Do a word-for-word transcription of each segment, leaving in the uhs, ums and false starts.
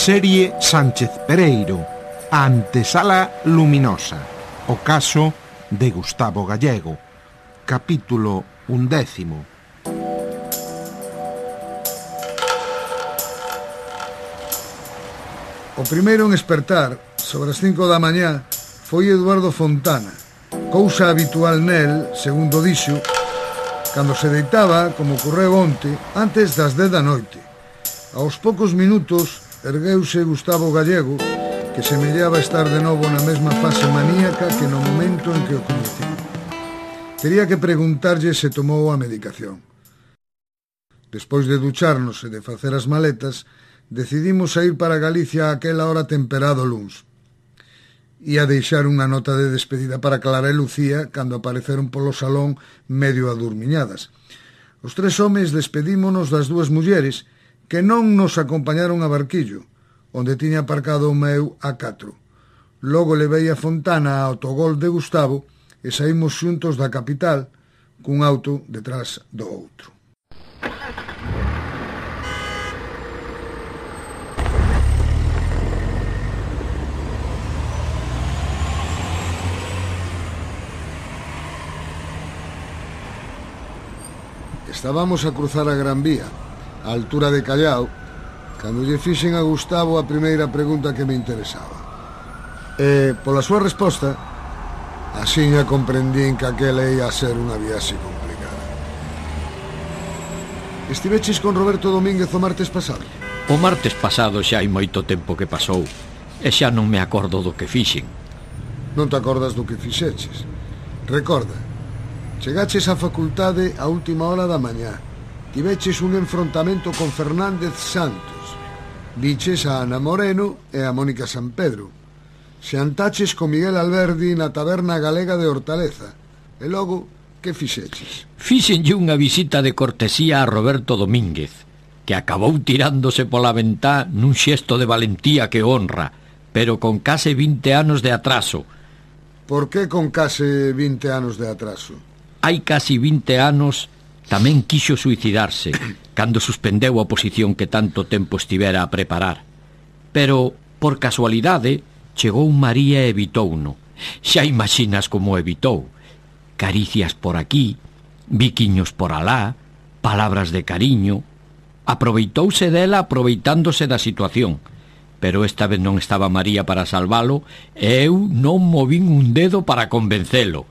Serie Sánchez Pereiro, a antesala luminosa, o caso de Gustavo Gallego, capítulo undécimo. O primeiro en espertar, sobre as cinco da mañá, foi Eduardo Fontana, cousa habitual nel, segundo dixo, cando se deitaba, como ocorreu onte, antes das dez da noite. Aos poucos minutos ergueuse Gustavo Gallego, que semellaba estar de novo na mesma fase maníaca que no momento en que o coñeceu. Tería que preguntarlle se tomou a medicación. Despois de ducharnos e de facer as maletas, decidimos a ir para Galicia a aquela hora temperado luns. Ia deixar unha nota de despedida para Clara e Lucía cando apareceron polo salón medio adurmiñadas. Os tres homes despedímonos das dúas mulleres que non nos acompañaron a Barquillo, onde tiña aparcado o meu A catro. Logo levei a Fontana ao autogol de Gustavo e saímos xuntos da capital cun auto detrás do outro. Estábamos a cruzar a Gran Vía, á altura de Callao, cando lle fixen a Gustavo a primeira pregunta que me interesaba. E, pola súa resposta, axiña comprendín que aquela ia a ser unha viaxe complicada. Estiveches con Roberto Domínguez o martes pasado? O martes pasado xa hai moito tempo que pasou, e xa non me acordo do que fixen. Non te acordas do que fixeches? Recorda, chegaches á facultade a última hora da mañá. Tiveches un enfrontamento con Fernández Santos. Viches a Ana Moreno e a Mónica San Pedro. Xantaches con Miguel Alberdi na taberna galega de Hortaleza. E logo, que fixeches? Fixenlle unha visita de cortesía a Roberto Domínguez, que acabou tirándose pola ventá nun xesto de valentía que honra, pero con case vinte anos de atraso. Por que con case vinte anos de atraso? Hai casi vinte anos tamén quixo suicidarse cando suspendeu a oposición que tanto tempo estivera a preparar. Pero, por casualidade, chegou María e evitouno. Xa imaxinas como o evitou. Caricias por aquí, biquiños por alá, palabras de cariño. Aproveitouse dela aproveitándose da situación. Pero esta vez non estaba María para salvalo e eu non movín un dedo para convencelo.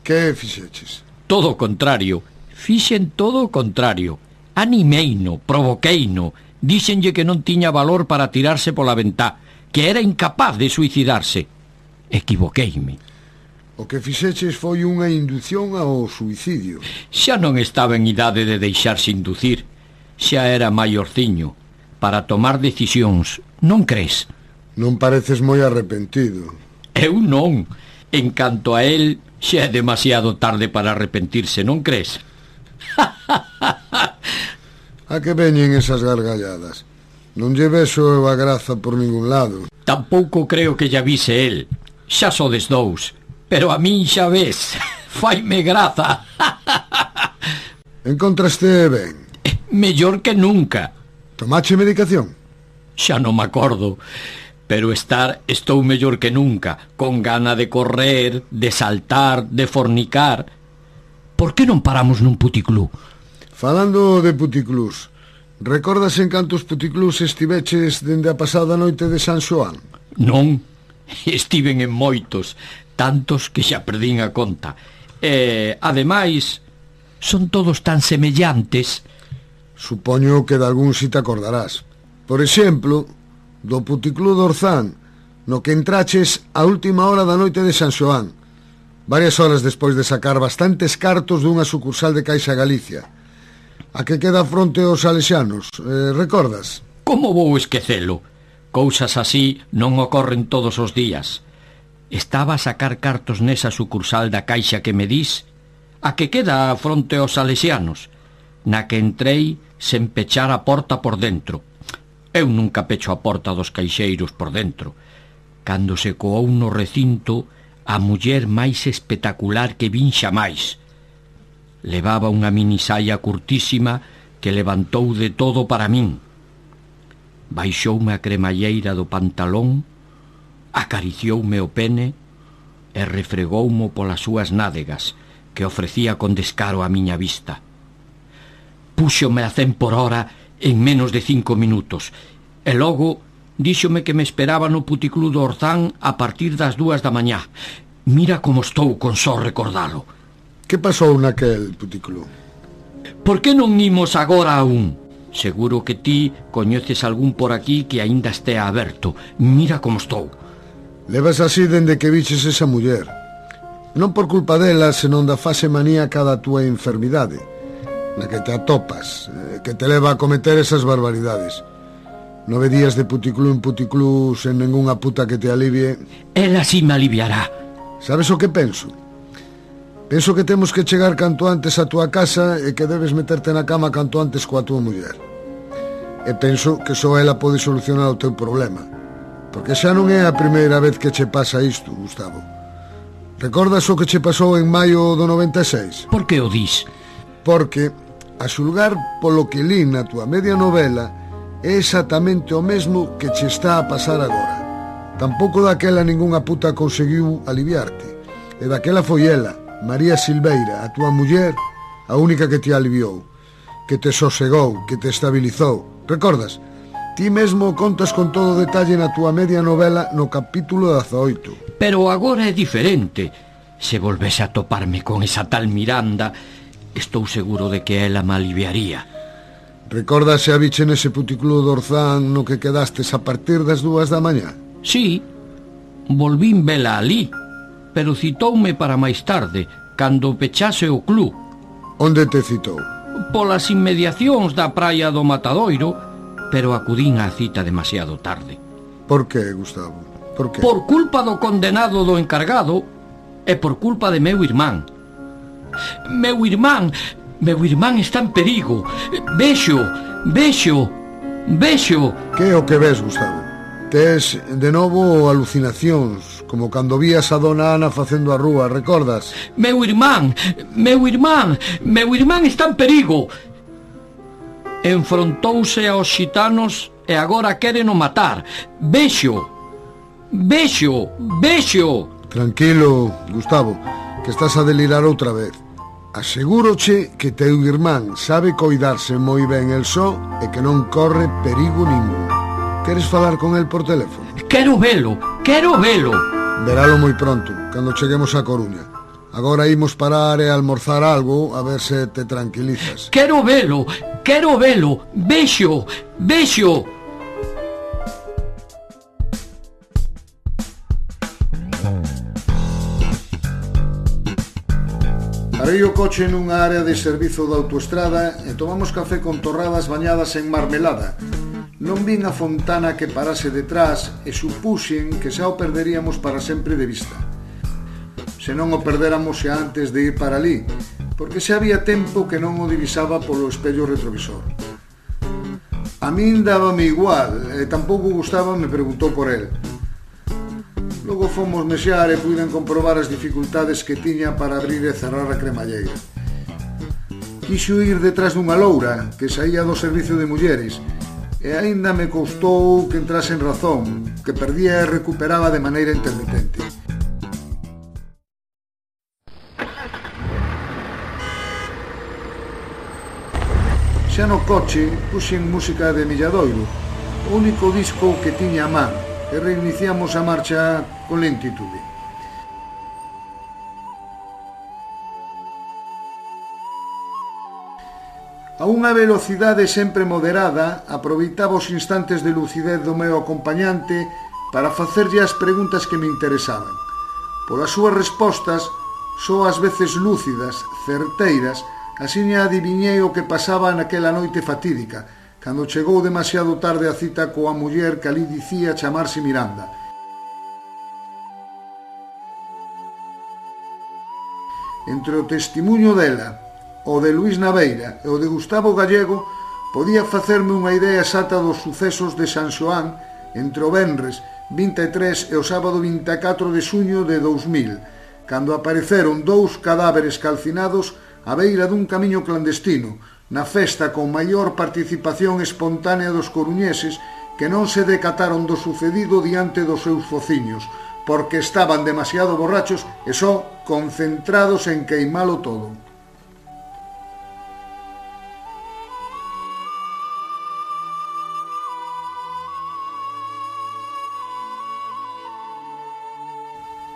Que fixeches? Todo o contrario. Fixen todo o contrario. Animeino, provoqueino, díxenlle que non tiña valor para tirarse pola ventá, que era incapaz de suicidarse. Equivoqueime. O que fixeches foi unha indución ao suicidio. Xa non estaba en idade de deixarse inducir. Xa era maiorciño para tomar decisións, non crees? Non pareces moi arrepentido. Eu non. En canto a él, xa é demasiado tarde para arrepentirse, non crees? A que veñen esas gargalladas? Non lle vexo eu a graza por ningún lado. Tampouco creo que ya vise el. Xa sodes dous. Pero a min xa ves. Faime graza. Encontraste ben? Mellor que nunca. Tomache medicación? Xa non me acordo. Pero estar estou mellor que nunca. Con gana de correr, de saltar, de fornicar. Por que non paramos nun puticlú? Falando de puticlús, recordas en cantos puticlús estiveches dende a pasada noite de San Xoán? Non, estiven en moitos, tantos que xa perdín a conta. E, ademais, son todos tan semellantes. Supoño que de algún si te acordarás. Por exemplo, do puticlú do Orzán, no que entraches a última hora da noite de San Xoán, varias horas despois de sacar bastantes cartos dunha sucursal de Caixa Galicia, a que queda fronte aos Salesianos, eh, recordas? Como vou esquecelo? Cousas así non ocorren todos os días. Estaba a sacar cartos nesa sucursal da Caixa que me dis, a que queda fronte aos Salesianos, na que entrei sen pechar a porta por dentro. Eu nunca pecho a porta dos caixeiros por dentro. Cando se coou no recinto, a muller máis espectacular que vin xamais. Levaba unha minisaia curtísima que levantou de todo para min. baixoume a cremalleira do pantalón, acaricioume o pene e refregoumo polas súas nádegas, que ofrecía con descaro a miña vista. Púxome a cen por hora en menos de cinco minutos, e logo díxome que me esperaba no puticlú do Orzán a partir das dúas da mañá. Mira como estou con só recordalo. Que pasou naquel puticlú? Por que non imos agora a un? Seguro que ti coñeces algún por aquí que aínda estea aberto. Mira como estou. Levas así dende que viches esa muller. Non por culpa dela, senón da fase maníaca da túa enfermidade, na que te atopas, que te leva a cometer esas barbaridades. Nove días de puticlú en puticlú sen ningunha puta que te alivie. Ela sí me aliviará. Sabes o que penso? Penso que temos que chegar canto antes a túa casa e que debes meterte na cama canto antes coa túa muller. E penso que só ela pode solucionar o teu problema, porque xa non é a primeira vez que che pasa isto, Gustavo. Recordas o que che pasou en maio do noventa e seis? Por que o dis? Porque, a xulgar polo que li na túa media novela, é exactamente o mesmo que che está a pasar agora. Tampouco daquela ningunha puta conseguiu aliviarte, e daquela foi ela, María Silveira, a túa muller, a única que te aliviou, que te sosegou, que te estabilizou. Recordas? Ti mesmo contas con todo detalle na túa media novela no capítulo dezaoito. Pero agora é diferente. Se volvese a toparme con esa tal Miranda, estou seguro de que ela me aliviaría. Recordas se a biche nese puticlú do Orzán no que quedastes a partir das dúas da mañá? Sí, volvín vela alí, pero citoume para máis tarde, cando pechase o club. Onde te citou? Polas inmediacións da praia do Matadoiro, pero acudín á cita demasiado tarde. Por que, Gustavo? Por que? Por culpa do condenado do encargado e por culpa de meu irmán. Meu irmán, meu irmán está en perigo. Vexo, vexo, vexo. Que é o que ves, Gustavo? Tes de novo alucinacións, como cando vías a dona Ana facendo a rúa, recordas? Meu irmán, meu irmán, meu irmán está en perigo. Enfrontouse aos xitanos e agora queren o matar. Vexo, vexo, vexo. Tranquilo, Gustavo, que estás a delirar outra vez. Asegúroche que teu irmán sabe coidarse moi ben el só e que non corre perigo ningún. Queres falar con el por teléfono? Quero velo, quero velo. Veralo moi pronto, cando cheguemos a Coruña. Agora imos parar e almorzar algo, a ver se te tranquilizas. Quero velo, quero velo. Vexo, vexo. Parei o coche nunha área de servizo da autoestrada e tomamos café con torradas bañadas en marmelada. Non vin a Fontana que parase detrás e supuxen que xa o perderíamos para sempre de vista. Se non o perdéramos xa antes de ir para ali, porque xa había tempo que non o divisaba polo espello retrovisor. A min dábame igual, e tampouco Gustavo me preguntou por el. Logo fomos mexar e puiden comprobar as dificultades que tiña para abrir e cerrar a cremalleira. Quixo ir detrás dunha loura que saía do servicio de mulleres, e aínda me custou que entrase en razón, que perdía e recuperaba de maneira intermitente. Xa no coche puxen música de Milladoiro, o único disco que tiña a man, e reiniciamos a marcha con lentitude. A unha velocidade sempre moderada, aproveitaba os instantes de lucidez do meu acompañante para facerlle as preguntas que me interesaban. Polas súas respostas, só ás veces lúcidas, certeiras, asiña adiviñei o que pasaba naquela noite fatídica, cando chegou demasiado tarde a cita coa muller que ali dicía chamarse Miranda. Entre o testimuño dela, o de Luís Naveira e o de Gustavo Gallego, podía facerme unha idea exata dos sucesos de San Xoán entre o venres vinte e tres e o sábado vinte e catro de xuño de dous mil, cando apareceron dous cadáveres calcinados á beira dun camiño clandestino, na festa con maior participación espontánea dos coruñeses que non se decataron do sucedido diante dos seus fociños, porque estaban demasiado borrachos e só concentrados en queimalo todo.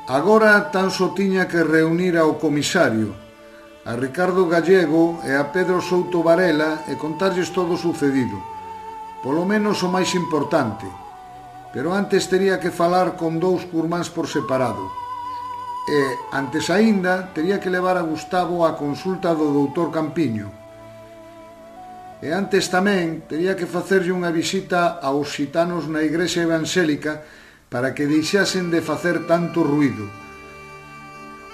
Agora tan só tiña que reunir ao comisario, a Ricardo Gallego e a Pedro Souto Varela e contarlles todo o sucedido, polo menos o máis importante, pero antes tería que falar con dous curmáns por separado, e, antes aínda, tería que levar a Gustavo á consulta do doutor Campiño, e antes tamén tería que facerlle unha visita aos xitanos na igrexa evangélica para que deixasen de facer tanto ruído.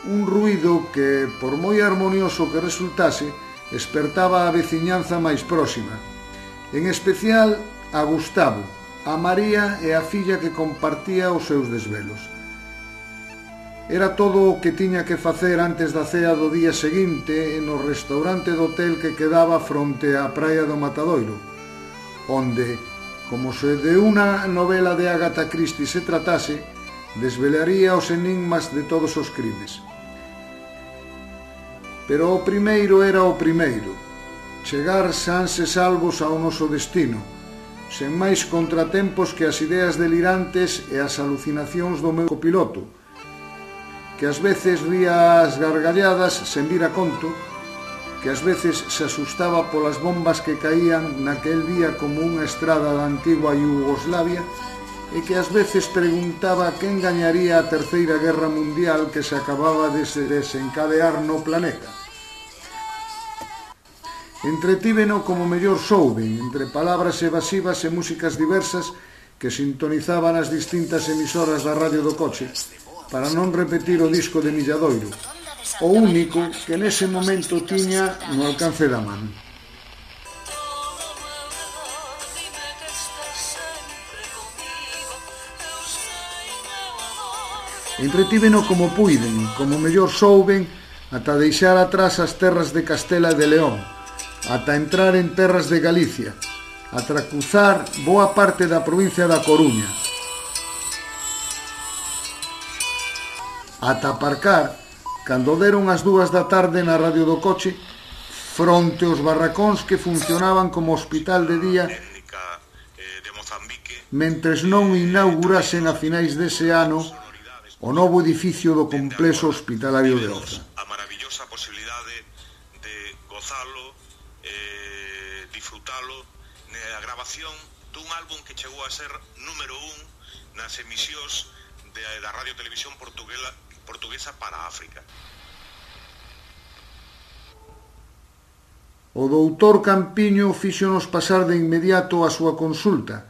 Un ruído que, por moi harmonioso que resultase, espertaba a veciñanza máis próxima, en especial a Gustavo, a María e a filla que compartía os seus desvelos. Era todo o que tiña que facer antes da cea do día seguinte no restaurante do hotel que quedaba fronte á praia do Matadoiro, onde, como se de unha novela de Agatha Christie se tratase, desvelaría os enigmas de todos os crimes. Pero o primeiro era o primeiro, chegar sans e salvos ao noso destino, sen máis contratempos que as ideas delirantes e as alucinacións do meu copiloto, que ás veces ría as gargalladas sen vir a conto, que ás veces se asustaba polas bombas que caían naquel día como unha estrada da antigua Yugoslavia e que ás veces preguntaba quen gañaría a terceira guerra mundial que se acababa de desencadear no planeta. Entretíveno como mellor souben, entre palabras evasivas e músicas diversas que sintonizaban as distintas emisoras da radio do coche, para non repetir o disco de Milladoiro, o único que nese momento tiña no alcance da man. Entretíveno como puiden, como mellor souben, ata deixar atrás as terras de Castela e de León, ata entrar en terras de Galicia, ata cruzar boa parte da provincia da Coruña, ata aparcar cando deron as dúas da tarde na radio do coche, fronte aos barracóns que funcionaban como hospital de día, mentres non inaugurasen a finais dese ano o novo edificio do complexo hospitalario de Oza. A maravillosa posibilidade de gozalo, eh, disfrutalo, na grabación dun álbum que chegou a ser número un nas emisións de, da Radio Televisión Portuguesa, portuguesa para África. O doutor Campiño fíxonos pasar de inmediato a súa consulta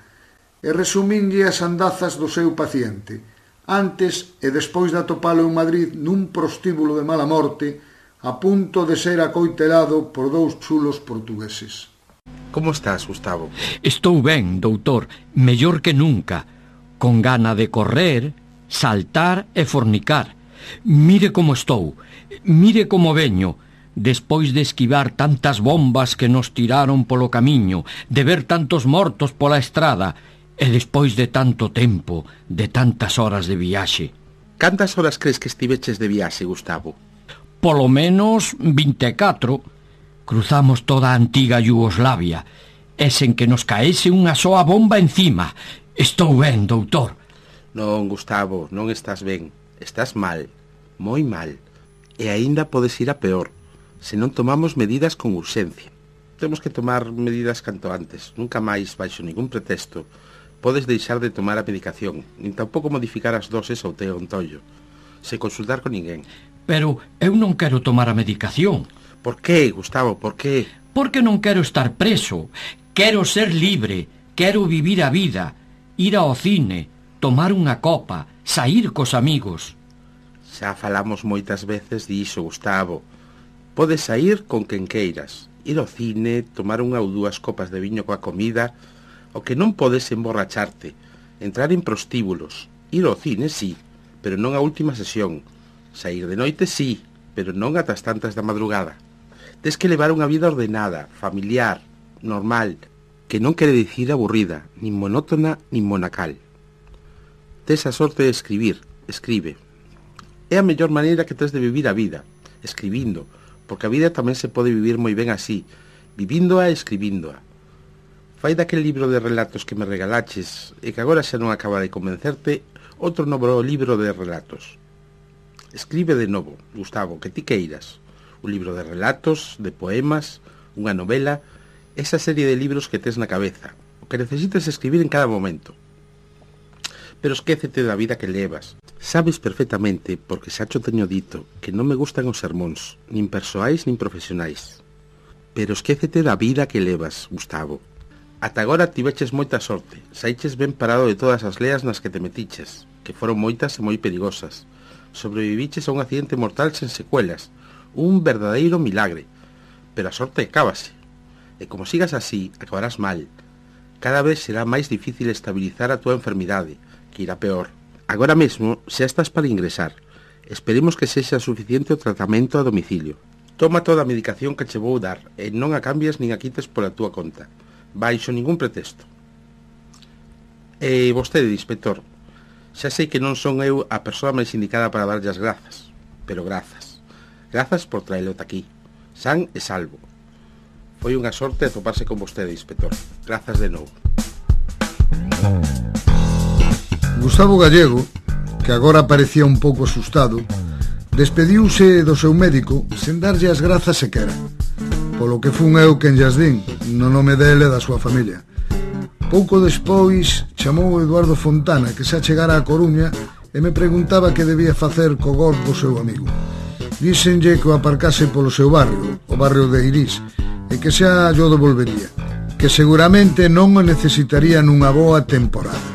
e resumínlle as andazas do seu paciente, antes e despois de atopalo en Madrid nun prostíbulo de mala morte, a punto de ser acoitelado por dous chulos portugueses. Como estás, Gustavo? Estou ben, doutor, mellor que nunca, con gana de correr, saltar e fornicar. Mire como estou, mire como veño, despois de esquivar tantas bombas que nos tiraron polo camiño, de ver tantos mortos pola estrada, e despois de tanto tempo, de tantas horas de viaxe. Cantas horas crees que estiveches de viaxe, Gustavo? Polo menos vinte e catro. Cruzamos toda a antiga Yugoslavia, e sen que nos caese unha soa bomba encima. Estou ben, doutor. Non, Gustavo, non estás ben. Estás mal, moi mal. E aínda podes ir a peor, se non tomamos medidas con urxencia. Temos que tomar medidas canto antes. Nunca máis, baixo ningún pretexto, podes deixar de tomar a medicación, nin tampouco modificar as doses ao teu entollo, sen consultar con ninguén. Pero eu non quero tomar a medicación. Por qué, Gustavo, por qué? Porque non quero estar preso. Quero ser libre, quero vivir a vida, ir ao cine, tomar unha copa, saír cos amigos. Xa falamos moitas veces diso, Gustavo. Podes saír con quen queiras, ir ao cine, tomar unha ou dúas copas de viño coa comida. O que non podes emborracharte, entrar en prostíbulos, ir ao cine, sí, pero non a última sesión. Saír de noite, sí, pero non ata as tantas da madrugada. Tes que levar unha vida ordenada, familiar, normal, que non quere dicir aburrida, nin monótona, nin monacal. Tes a sorte de escribir, escribe. É a mellor maneira que tes de vivir a vida, escribindo, porque a vida tamén se pode vivir moi ben así, vivíndoa e escribíndoa. Fai daquel libro de relatos que me regalaches e que agora xa non acaba de convencerte, outro novo libro de relatos. Escribe de novo, Gustavo, que ti queiras. Un libro de relatos, de poemas, unha novela, esa serie de libros que tes na cabeza, o que necesites escribir en cada momento. Pero esquécete da vida que levas. Sabes perfectamente, porque xa cho teño dito, que non me gustan os sermóns, nin persoais nin profesionais. Pero esquécete da vida que levas, Gustavo. Ata agora tiveches moita sorte, saiches ben parado de todas as leas nas que te metiches, que foron moitas e moi perigosas. Sobreviviches a un accidente mortal sen secuelas, un verdadeiro milagre. Pero a sorte acábase. E como sigas así, acabarás mal. Cada vez será máis difícil estabilizar a tua enfermidade, que irá peor. Agora mesmo xa estás para ingresar. Esperemos que sexa suficiente o tratamento a domicilio. Toma toda a medicación que che vou dar e non a cambies nin a quites pola túa conta, baixo ningún pretexto. E vostede, inspector, xa sei que non son eu a persoa máis indicada para darlle as grazas, pero grazas. Grazas por traelo aquí, san e salvo. Foi unha sorte atoparse con vostede, inspector. Grazas de novo. Gustavo Gallego, que agora parecía un pouco asustado, despediuse do seu médico sen darlle as grazas sequera, polo que fun eu quen llas din, no nome dele e da súa familia. Pouco despois chamou Eduardo Fontana, que xa chegara a Coruña, e me preguntaba que debía facer co Golf do seu amigo. Díxenlle que o aparcase polo seu barrio, o barrio de Irís, e que xa yo devolvería, que seguramente non o necesitaría nunha boa temporada.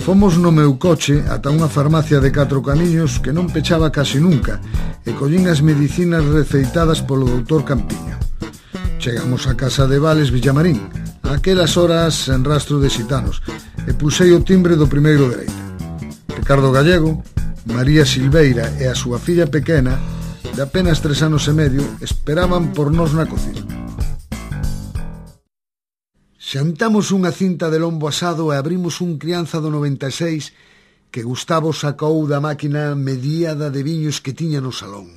Fomos no meu coche ata unha farmacia de catro camiños que non pechaba casi nunca e collín as medicinas receitadas polo doutor Campiño. Chegamos a casa de Vales Villamarín, a aquelas horas en rastro de xitanos, e pusei o timbre do primeiro dereita. Ricardo Gallego, María Silveira e a súa filla pequena, de apenas tres anos e medio, esperaban por nós na cociña. Xantamos unha cinta de lombo asado e abrimos un crianza do noventa e seis que Gustavo sacou da máquina mediada de viños que tiña no salón.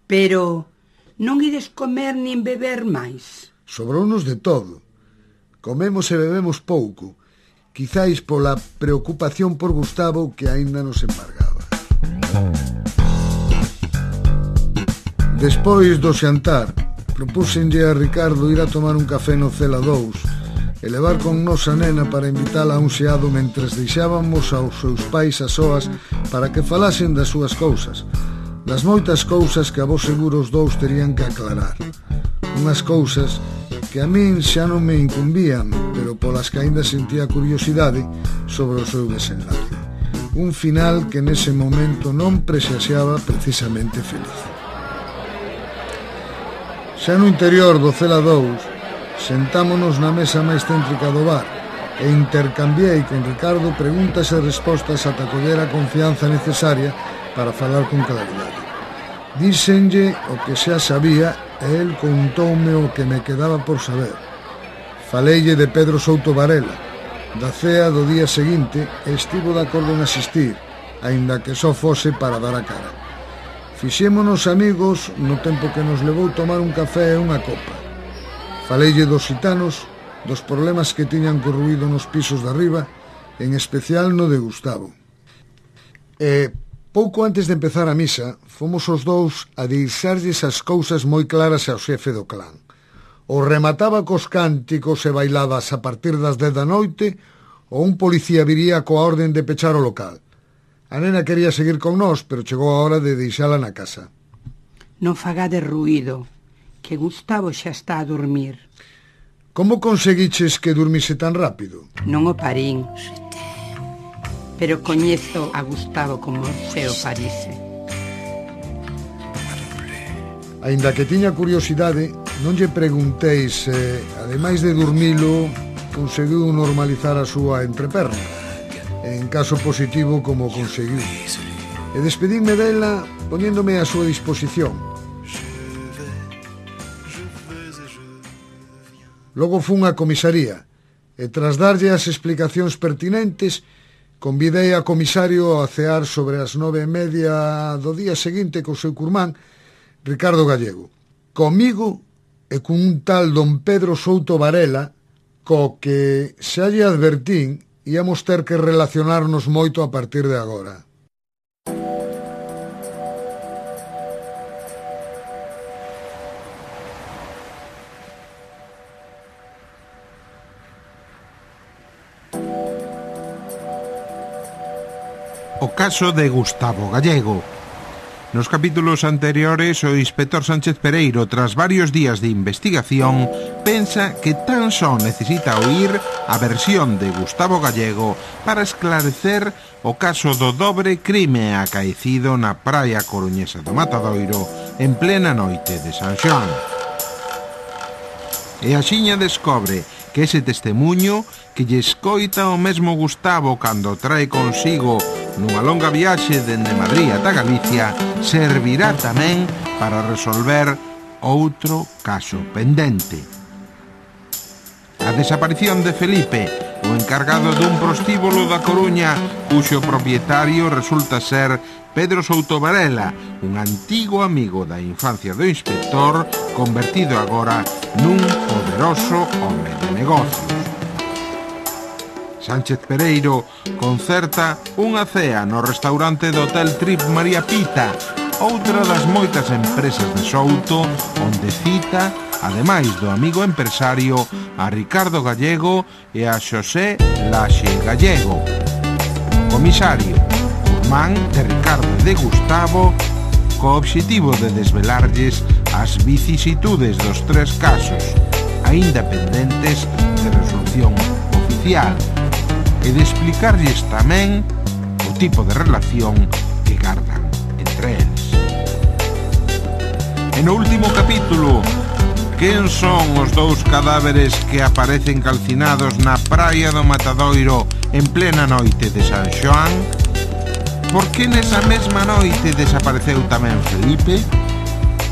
Pero non ides comer nin beber máis? Sobrounos de todo. Comemos e bebemos pouco, quizáis pola preocupación por Gustavo que aínda nos embargaba. Despois do xantar, propúxenlle a Ricardo ir a tomar un café no Cela dous e levar con nos a nena para invitala a un xeado mentres deixábamos aos seus pais a soas para que falasen das súas cousas, das moitas cousas que a vos seguro os dous terían que aclarar. Unhas cousas que a min xa non me incumbían, pero polas que aínda sentía curiosidade sobre o seu desenlace. Un final que nese momento non presaxiaba precisamente feliz. Xa no interior do Cela dous, sentámonos na mesa máis céntrica do bar e intercambiei con Ricardo preguntas e respostas ata coller a confianza necesaria para falar con claridade. Díxenlle o que xa sabía e el contoume o que me quedaba por saber. Faleille de Pedro Souto Varela, da cea do día seguinte, e estivo de acordo en asistir, aínda que só fose para dar a cara. Fixémonos amigos no tempo que nos levou tomar un café e unha copa. Faleille dos xitanos, dos problemas que tiñan corruído nos pisos de arriba, en especial no de Gustavo. E pouco antes de empezar a misa, fomos os dous a deixarlles as cousas moi claras ao xefe do clan. O remataba cos cánticos e bailadas a partir das dez da noite, ou un policía viría coa orden de pechar o local. A nena quería seguir con nós, pero chegou a hora de deixala na casa. Non fagade ruído, que Gustavo xa está a dormir. Como conseguiches que durmise tan rápido? Non o parín, pero coñezo a Gustavo como se o parise. Aínda que tiña curiosidade, non lle preguntei se, ademais de dormilo, conseguiu normalizar a súa entreperna, en caso positivo como conseguiu. E despedíme dela poñéndome a súa disposición. Logo fun á comisaría E tras darlle as explicacións pertinentes, convidei a comisario a cear sobre as nove e media do día seguinte co seu curmán, Ricardo Gallego. Comigo e cun un tal don Pedro Souto Varela, co que xa lle advertín íamos ter que relacionarnos moito a partir de agora. O caso de Gustavo Gallego. Nos capítulos anteriores, o inspector Sánchez Pereiro, tras varios días de investigación, pensa que tan só necesita oír a versión de Gustavo Gallego para esclarecer o caso do dobre crime acaecido na praia coruñesa do Matadoiro en plena noite de San Xoán. E axiña descobre que ese testemunho que lle escoita o mesmo Gustavo cando trae consigo nunha longa viaxe dende Madrid ata Galicia servirá tamén para resolver outro caso pendente. A desaparición de Felipe, o encargado dun prostíbulo da Coruña, cuxo propietario resulta ser Pedro Souto Varela, un antigo amigo da infancia do inspector, convertido agora nun poderoso home de negocios. Sánchez Pereiro concerta unha cea no restaurante do Hotel Trip María Pita, outra das moitas empresas de Souto, onde cita, ademais do amigo empresario, a Ricardo Gallego e a Xosé Laxe Gallego. Comisario, curmán de Ricardo e de Gustavo, co obxectivo de desvelarlles as vicisitudes dos tres casos, aínda pendentes de resolución oficial, e de explicarlles tamén o tipo de relación que gardan entre eles. E no último capítulo, quen son os dous cadáveres que aparecen calcinados na praia do Matadoiro en plena noite de San Xoán? Por que nesa mesma noite desapareceu tamén Felipe?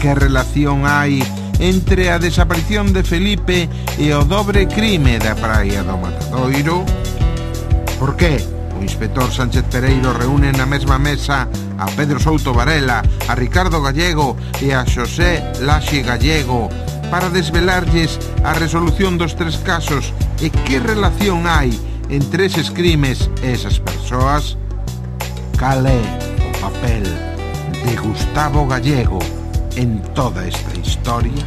Que relación hai entre a desaparición de Felipe e o dobre crime da praia do Matadoiro? Por que o inspector Sánchez Pereiro reúne na mesma mesa a Pedro Souto Varela, a Ricardo Gallego e a Xosé Laxe Gallego para desvelarlles a resolución dos tres casos e que relación hai entre eses crimes e esas persoas? Cal é o papel de Gustavo Gallego en toda esta historia?